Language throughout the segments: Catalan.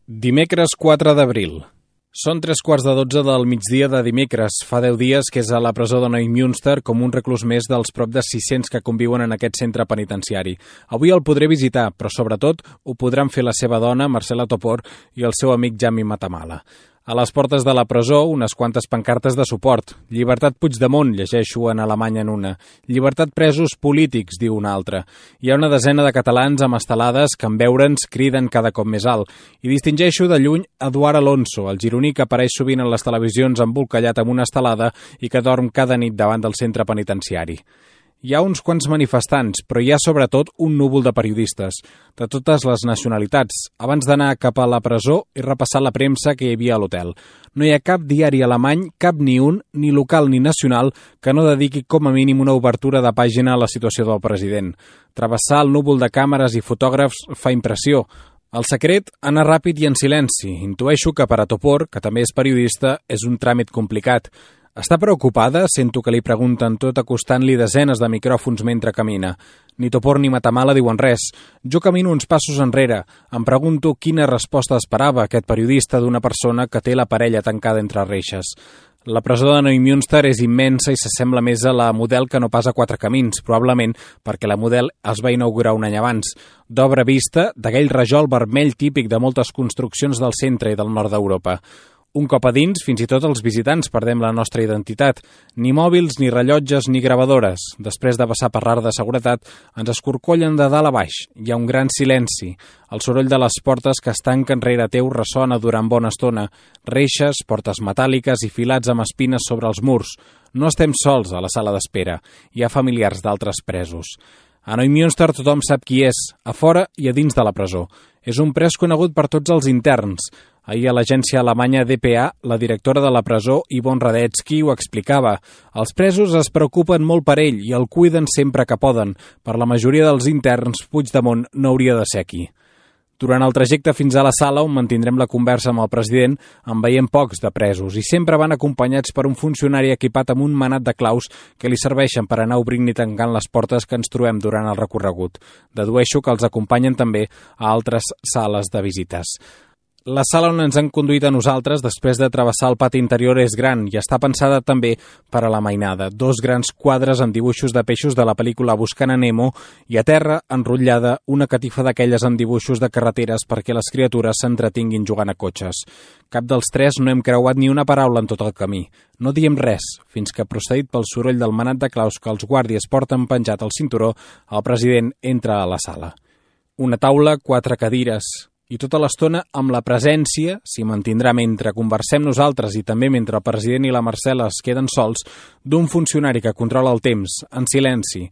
Dimecres 4 d'abril. Són 3:15 del migdia de dimecres. Fa 10 dies que és a la presó de Neumünster com un reclús més dels prop de 600 que conviuen en aquest centre penitenciari. Avui el podré visitar, però sobretot ho podran fer la seva dona, Marcela Topor, i el seu amic Jami Matamala. A les portes de la presó, unes quantes pancartes de suport. Llibertat Puigdemont, llegeixo en alemany en una. Llibertat presos polítics, diu una altra. Hi ha una desena de catalans amb estelades que en veure'ns criden cada cop més alt. I distingeixo de lluny Eduard Alonso, el gironí que apareix sovint en les televisions embolcallat amb una estelada i que dorm cada nit davant del centre penitenciari. Hi ha uns quants manifestants, però hi ha sobretot un núvol de periodistes, de totes les nacionalitats. Abans d'anar cap a la presó he repassat la premsa que hi havia a l'hotel. No hi ha cap diari alemany, cap ni un, ni local ni nacional, que no dediqui com a mínim una obertura de pàgina a la situació del president. Travessar el núvol de càmeres i fotògrafs fa impressió. El secret, anar ràpid i en silenci. Intueixo que per a Topor, que també és periodista, és un tràmit complicat. Està preocupada? Sento que li pregunten tot acostant-li desenes de micròfons mentre camina. Ni Topor ni Matamala diuen res. Jo camino uns passos enrere. Em pregunto quina resposta esperava aquest periodista d'una persona que té la parella tancada entre reixes. La presó de Neumünster és immensa i s'assembla més a la Model que no pas a Quatre Camins, probablement perquè la Model es va inaugurar un any abans. D'obra vista, d'aquell rajol vermell típic de moltes construccions del centre i del nord d'Europa. Un cop a dins, fins i tot els visitants perdem la nostra identitat. Ni mòbils, ni rellotges, ni gravadores. Després de passar per l'art de seguretat, ens escorcollen de dalt a baix. Hi ha un gran silenci. El soroll de les portes que es tanquen rere teu ressona durant bona estona. Reixes, portes metàl·liques i filats amb espines sobre els murs. No estem sols a la sala d'espera. Hi ha familiars d'altres presos. A Neumünster tothom sap qui és, a fora i a dins de la presó. És un pres conegut per tots els interns. Ahir a l'agència alemanya dpa, la directora de la presó, Yvonne Radetzky, ho explicava. Els presos es preocupen molt per ell i el cuiden sempre que poden. Per la majoria dels interns, Puigdemont no hauria de ser aquí. Durant el trajecte fins a la sala, on mantindrem la conversa amb el president, en veiem pocs de presos i sempre van acompanyats per un funcionari equipat amb un manat de claus que li serveixen per anar obrint i tancant les portes que ens trobem durant el recorregut. Dedueixo que els acompanyen també a altres sales de visites. La sala on ens han conduït a nosaltres després de travessar el pati interior és gran i està pensada també per a la mainada. 2 grans quadres amb dibuixos de peixos de la pel·lícula Buscant a Nemo i a terra, enrotllada, una catifa d'aquelles amb dibuixos de carreteres perquè les criatures s'entretinguin jugant a cotxes. Cap dels 3 no hem creuat ni una paraula en tot el camí. No diem res, fins que, procedit pel soroll del manat de claus que els guàrdies porten penjat al cinturó, el president entra a la sala. Una taula, 4 cadires i tota l'estona amb la presència, s'hi mantindrà mentre conversem nosaltres i també mentre el president i la Marcela es queden sols, d'un funcionari que controla el temps, en silenci.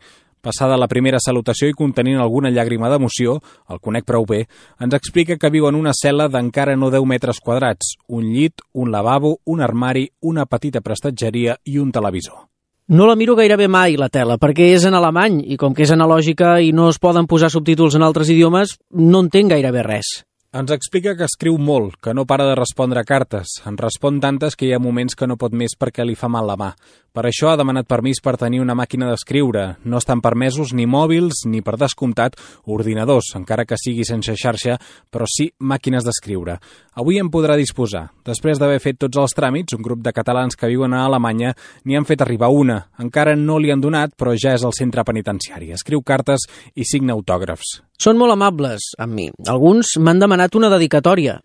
Passada la primera salutació i contenint alguna llàgrima d'emoció, el conec prou bé, ens explica que viu en una cel·la d'encara no 10 metres quadrats, un llit, un lavabo, un armari, una petita prestatgeria i un televisor. No la miro gairebé mai, la tela, perquè és en alemany i com que és analògica i no es poden posar subtítols en altres idiomes, no entenc gairebé res. Ens explica que escriu molt, que no para de respondre cartes. En respon tantes que hi ha moments que no pot més perquè li fa mal la mà. Per això ha demanat permís per tenir una màquina d'escriure. No estan permesos ni mòbils ni, per descomptat, ordinadors, encara que sigui sense xarxa, però sí màquines d'escriure. Avui en podrà disposar. Després d'haver fet tots els tràmits, un grup de catalans que viuen a Alemanya n'hi han fet arribar una. Encara no li han donat, però ja és al centre penitenciari. Escriu cartes i signa autògrafs. Són molt amables amb mi. Alguns m'han demanat una dedicatòria.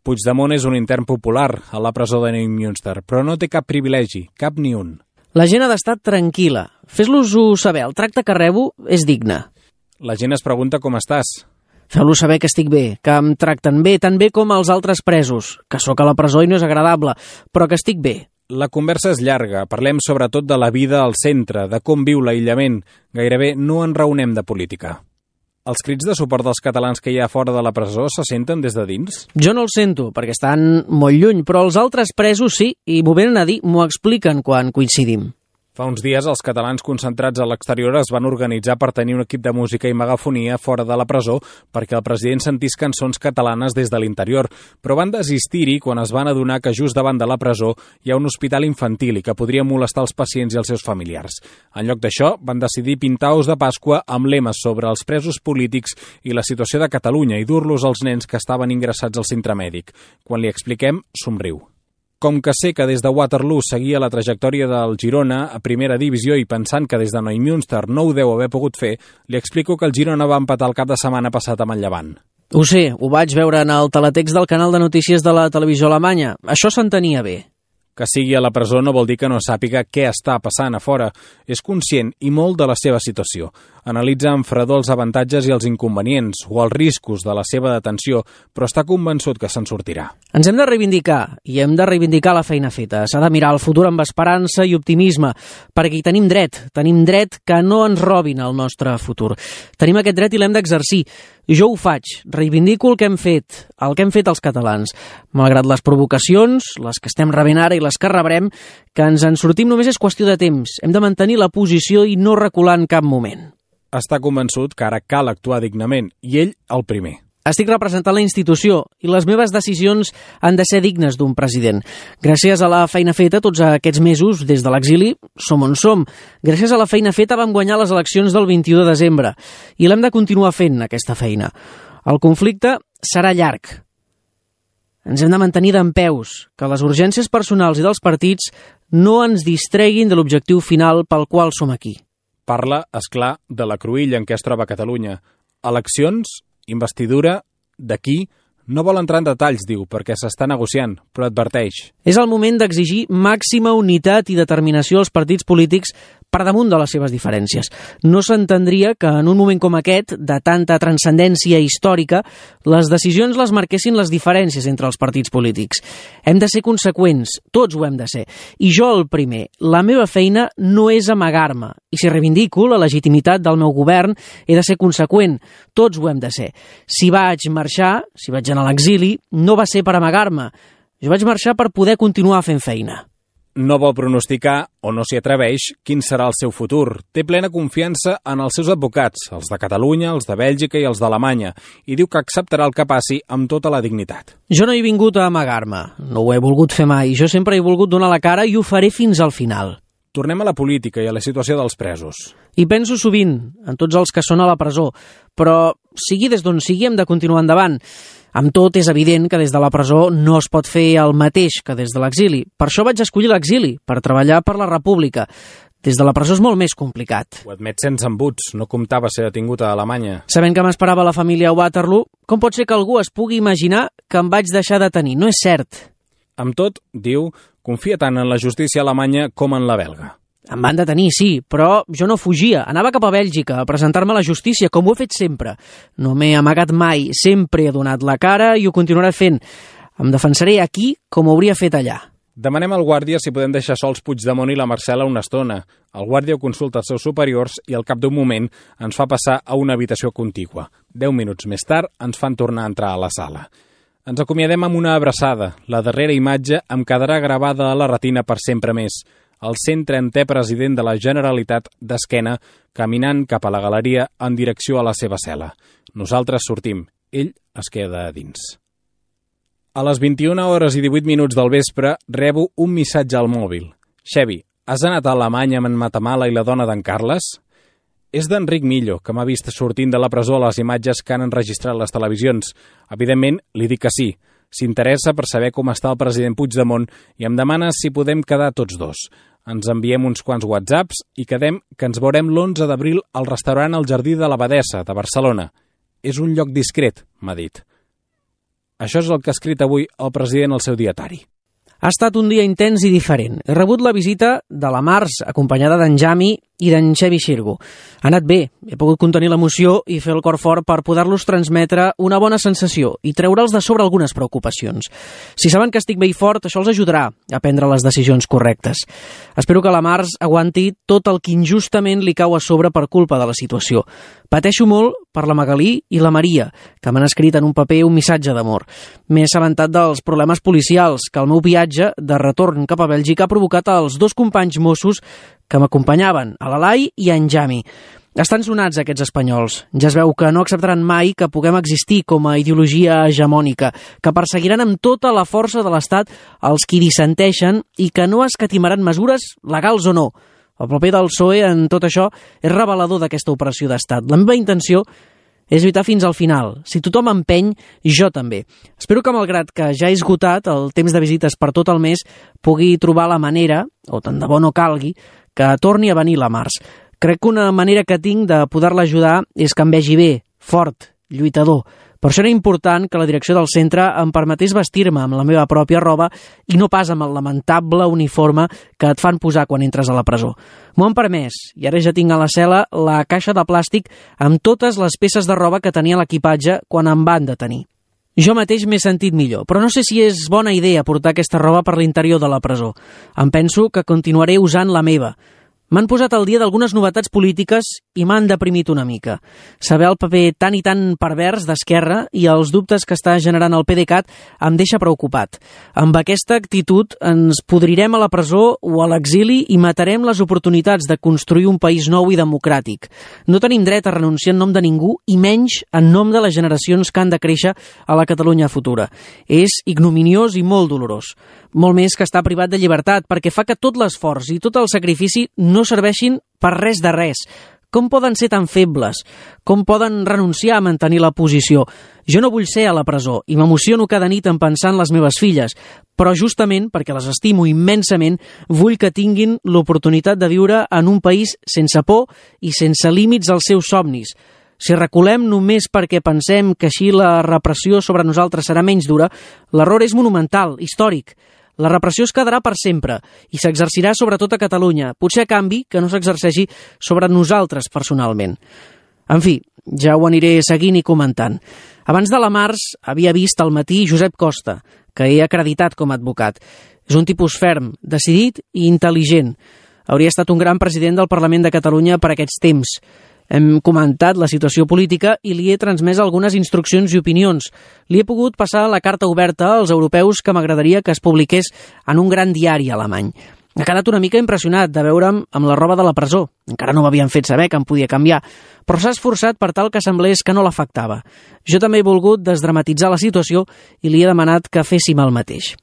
Puigdemont és un intern popular a la presó de Neumünster, però no té cap privilegi, cap ni un. La gent ha d'estar tranquil·la. Fes-los-ho saber, el tracte que rebo és digne. La gent es pregunta com estàs. Feu-los saber que estic bé, que em tracten bé, tan bé com els altres presos, que sóc a la presó i no és agradable, però que estic bé. La conversa és llarga, parlem sobretot de la vida al centre, de com viu l'aïllament. Gairebé no en raonem de política. Els crits de suport dels catalans que hi ha fora de la presó se senten des de dins? Jo no els sento, perquè estan molt lluny, però els altres presos sí, i m'ho venen a dir, m'ho expliquen quan coincidim. Fa uns dies, els catalans concentrats a l'exterior es van organitzar per tenir un equip de música i megafonia fora de la presó perquè el president sentís cançons catalanes des de l'interior, però van desistir-hi quan es van adonar que just davant de la presó hi ha un hospital infantil i que podria molestar els pacients i els seus familiars. En lloc d'això, van decidir pintar ous de Pasqua amb lemes sobre els presos polítics i la situació de Catalunya i dur-los als nens que estaven ingressats al centre mèdic. Quan li expliquem, somriu. Com que sé que des de Waterloo seguia la trajectòria del Girona a primera divisió i pensant que des de Neumünster no ho deu haver pogut fer, li explico que el Girona va empatar el cap de setmana passat amb el Llevant. Ho sé, ho vaig veure en el teletext del canal de notícies de la televisió alemanya. Això s'entenia bé. Que sigui a la presó no vol dir que no sàpiga què està passant a fora. És conscient i molt de la seva situació. Analitza amb fredor els avantatges i els inconvenients o els riscos de la seva detenció, però està convençut que se'n sortirà. Ens hem de reivindicar, i hem de reivindicar la feina feta. S'ha de mirar el futur amb esperança i optimisme, perquè hi tenim dret que no ens robin el nostre futur. Tenim aquest dret i l'hem d'exercir. Jo ho faig, reivindico el que hem fet els catalans. Malgrat les provocacions, les que estem rebent ara i les que rebrem, que ens en sortim només és qüestió de temps. Hem de mantenir la posició i no recular en cap moment. Està convençut que ara cal actuar dignament, i ell el primer. Estic representant la institució i les meves decisions han de ser dignes d'un president. Gràcies a la feina feta tots aquests mesos, des de l'exili, som on som. Gràcies a la feina feta vam guanyar les eleccions del 21 de desembre i l'hem de continuar fent, aquesta feina. El conflicte serà llarg. Ens hem de mantenir dempeus, que les urgències personals i dels partits no ens distreguin de l'objectiu final pel qual som aquí. Parla, és clar, de la cruïlla en què es troba Catalunya. Eleccions, investidura, d'aquí. No vol entrar en detalls, diu, perquè s'està negociant, però adverteix. És el moment d'exigir màxima unitat i determinació als partits polítics per damunt de les seves diferències. No s'entendria que en un moment com aquest, de tanta transcendència històrica, les decisions les marquessin les diferències entre els partits polítics. Hem de ser conseqüents, tots ho hem de ser. I jo el primer. La meva feina no és amagar-me. I si reivindico la legitimitat del meu govern, he de ser conseqüent. Tots ho hem de ser. Si vaig marxar, si vaig anar a l'exili, no va ser per amagar-me. Jo vaig marxar per poder continuar fent feina. No vol pronosticar, o no s'hi atreveix, quin serà el seu futur. Té plena confiança en els seus advocats, els de Catalunya, els de Bèlgica i els d'Alemanya, i diu que acceptarà el que passi amb tota la dignitat. Jo no he vingut a amagar-me, no ho he volgut fer mai. Jo sempre he volgut donar la cara i ho faré fins al final. Tornem a la política i a la situació dels presos. I penso sovint en tots els que són a la presó, però sigui des d'on sigui hem de continuar endavant. Amb tot, és evident que des de la presó no es pot fer el mateix que des de l'exili. Per això vaig escollir l'exili, per treballar per la República. Des de la presó és molt més complicat. Ho admet sense embuts, no comptava ser detingut a Alemanya. Sabent que m'esperava la família a Waterloo, com pot ser que algú es pugui imaginar que em vaig deixar detenir? No és cert. Amb tot, diu, confia tant en la justícia alemanya com en la belga. Em van detenir, sí, però jo no fugia. Anava cap a Bèlgica a presentar-me a la justícia, com ho he fet sempre. No m'he amagat mai, sempre he donat la cara i ho continuaré fent. Em defensaré aquí com ho hauria fet allà. Demanem al guàrdia si podem deixar sols Puigdemont i la Marcela una estona. El guàrdia ho consulta als seus superiors i al cap d'un moment ens fa passar a una habitació contigua. 10 minuts més tard ens fan tornar a entrar a la sala. Ens acomiadem amb una abraçada. La darrera imatge em quedarà gravada a la retina per sempre més. El 130è president de la Generalitat d'esquena, caminant cap a la galeria en direcció a la seva cel·la. Nosaltres sortim, ell es queda a dins. A les 21 hores i 18 minuts del vespre rebo un missatge al mòbil. Xevi, has anat a Alemanya amb en Matamala i la dona d'en Carles? És d'Enric Millo, que m'ha vist sortint de la presó a les imatges que han enregistrat les televisions. Evidentment, li dic que sí. S'interessa per saber com està el president Puigdemont i em demana si podem quedar tots dos. Ens enviem uns quants whatsapps i quedem que ens veurem l'11 d'abril al restaurant El Jardí de l'Abadessa, de Barcelona. És un lloc discret, m'ha dit. Això és el que ha escrit avui el president al seu dietari. Ha estat un dia intens i diferent. He rebut la visita de la Mars, acompanyada d'en Jami i d'en Xevi Xirgo. Ha anat bé, he pogut contenir l'emoció i fer el cor fort per poder-los transmetre una bona sensació i treure'ls de sobre algunes preocupacions. Si saben que estic bé i fort, això els ajudarà a prendre les decisions correctes. Espero que la Mars aguanti tot el que injustament li cau a sobre per culpa de la situació. Pateixo molt per la Magalí i la Maria, que m'han escrit en un paper un missatge d'amor. M'he assabentat dels problemes policials que el meu viatge de retorn cap a Bèlgica ha provocat als dos companys Mossos que m'acompanyaven, a l'Alai i a en Jami. Estan sonats aquests espanyols. Ja es veu que no acceptaran mai que puguem existir com a ideologia hegemònica, que perseguiran amb tota la força de l'Estat els qui dissenteixen i que no escatimaran mesures, legals o no. El paper del PSOE en tot això és revelador d'aquesta operació d'Estat. La meva intenció és lluitar fins al final. Si tothom empeny, jo també. Espero que, malgrat que ja he esgotat el temps de visites per tot el mes, pugui trobar la manera, o tant de bo no calgui, que torni a venir la març. Crec que una manera que tinc de poder-la ajudar és que em vegi bé, fort, lluitador. Per això era important que la direcció del centre em permetés vestir-me amb la meva pròpia roba i no pas amb el lamentable uniforme que et fan posar quan entres a la presó. M'ho han permès i ara ja tinc a la cel·la la caixa de plàstic amb totes les peces de roba que tenia l'equipatge quan em van detenir. Jo mateix m'he sentit millor, però no sé si és bona idea portar aquesta roba per l'interior de la presó. Em penso que continuaré usant la meva. M'han posat al dia d'algunes novetats polítiques i m'han deprimit una mica. Saber el paper tan i tan pervers d'Esquerra i els dubtes que està generant el PDeCAT em deixa preocupat. Amb aquesta actitud ens podrirem a la presó o a l'exili i matarem les oportunitats de construir un país nou i democràtic. No tenim dret a renunciar en nom de ningú i menys en nom de les generacions que han de créixer a la Catalunya futura. És ignominiós i molt dolorós. Molt més que estar privat de llibertat, perquè fa que tot l'esforç i tot el sacrifici no serveixin per res de res. Com poden ser tan febles? Com poden renunciar a mantenir la posició? Jo no vull ser a la presó i m'emociono cada nit en pensar en les meves filles, però justament perquè les estimo immensament, vull que tinguin l'oportunitat de viure en un país sense por i sense límits als seus somnis. Si reculem només perquè pensem que així la repressió sobre nosaltres serà menys dura, l'error és monumental, històric. La repressió es quedarà per sempre i s'exercirà sobretot a Catalunya, potser a canvi que no s'exerceixi sobre nosaltres personalment. En fi, ja ho aniré seguint i comentant. Abans de la març havia vist al matí Josep Costa, que he acreditat com a advocat. És un tipus ferm, decidit i intel·ligent. Hauria estat un gran president del Parlament de Catalunya per aquests temps. Hem comentat la situació política i li he transmès algunes instruccions i opinions. Li he pogut passar la carta oberta als europeus que m'agradaria que es publiqués en un gran diari alemany. Ha quedat una mica impressionat de veure'm amb la roba de la presó. Encara no m'havien fet saber que em podia canviar, però s'ha esforçat per tal que semblés que no l'afectava. Jo també he volgut desdramatitzar la situació i li he demanat que féssim el mateix.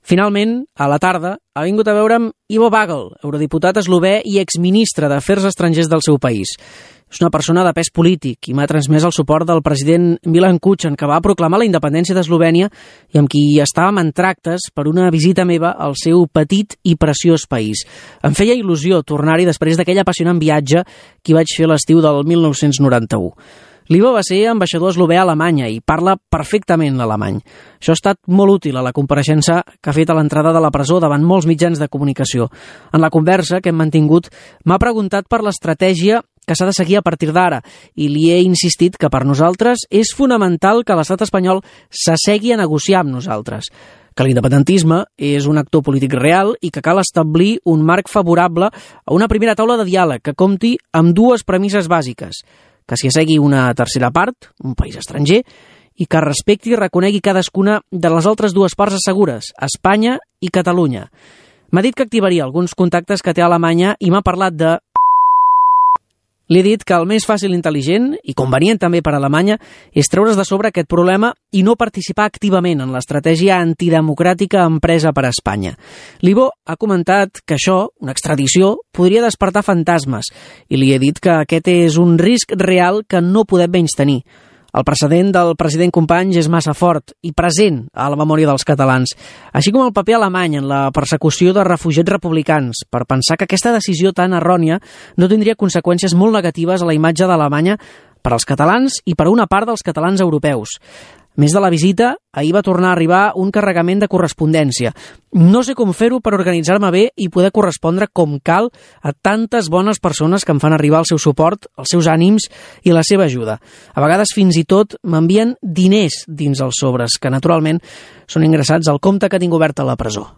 Finalment, a la tarda, ha vingut a veure'm Ivo Vagel, eurodiputat eslové i exministre d'Afers Estrangers del seu país. És una persona de pes polític i m'ha transmès el suport del president Milan Kučan, que va proclamar la independència d'Eslovènia i amb qui estàvem en tractes per una visita meva al seu petit i preciós país. Em feia il·lusió tornar-hi després d'aquell apassionant viatge que vaig fer l'estiu del 1991. L'Ivo va ser ambaixador eslové a Alemanya i parla perfectament l'alemany. Això ha estat molt útil a la compareixença que ha fet a l'entrada de la presó davant molts mitjans de comunicació. En la conversa que hem mantingut m'ha preguntat per l'estratègia que s'ha de seguir a partir d'ara i li he insistit que per nosaltres és fonamental que l'estat espanyol s'assegui a negociar amb nosaltres, que l'independentisme és un actor polític real i que cal establir un marc favorable a una primera taula de diàleg que compti amb dues premisses bàsiques: que s'hi assegui una tercera part, un país estranger, i que respecti i reconegui cadascuna de les altres dues parts assegures, Espanya i Catalunya. M'ha dit que activaria alguns contactes que té a Alemanya i m'ha parlat de... Li he dit que el més fàcil, intel·ligent i convenient també per a Alemanya és treure's de sobre aquest problema i no participar activament en l'estratègia antidemocràtica empresa per a Espanya. L'Ivo ha comentat que això, una extradició, podria despertar fantasmes i li he dit que aquest és un risc real que no podem menystenir. El precedent del president Companys és massa fort i present a la memòria dels catalans, així com el paper alemany en la persecució de refugiats republicans, per pensar que aquesta decisió tan errònia no tindria conseqüències molt negatives a la imatge d'Alemanya per als catalans i per a una part dels catalans europeus. A més de la visita, ahir va tornar a arribar un carregament de correspondència. No sé com fer-ho per organitzar-me bé i poder correspondre com cal a tantes bones persones que em fan arribar el seu suport, els seus ànims i la seva ajuda. A vegades fins i tot m'envien diners dins els sobres, que naturalment són ingressats al compte que tinc obert a la presó.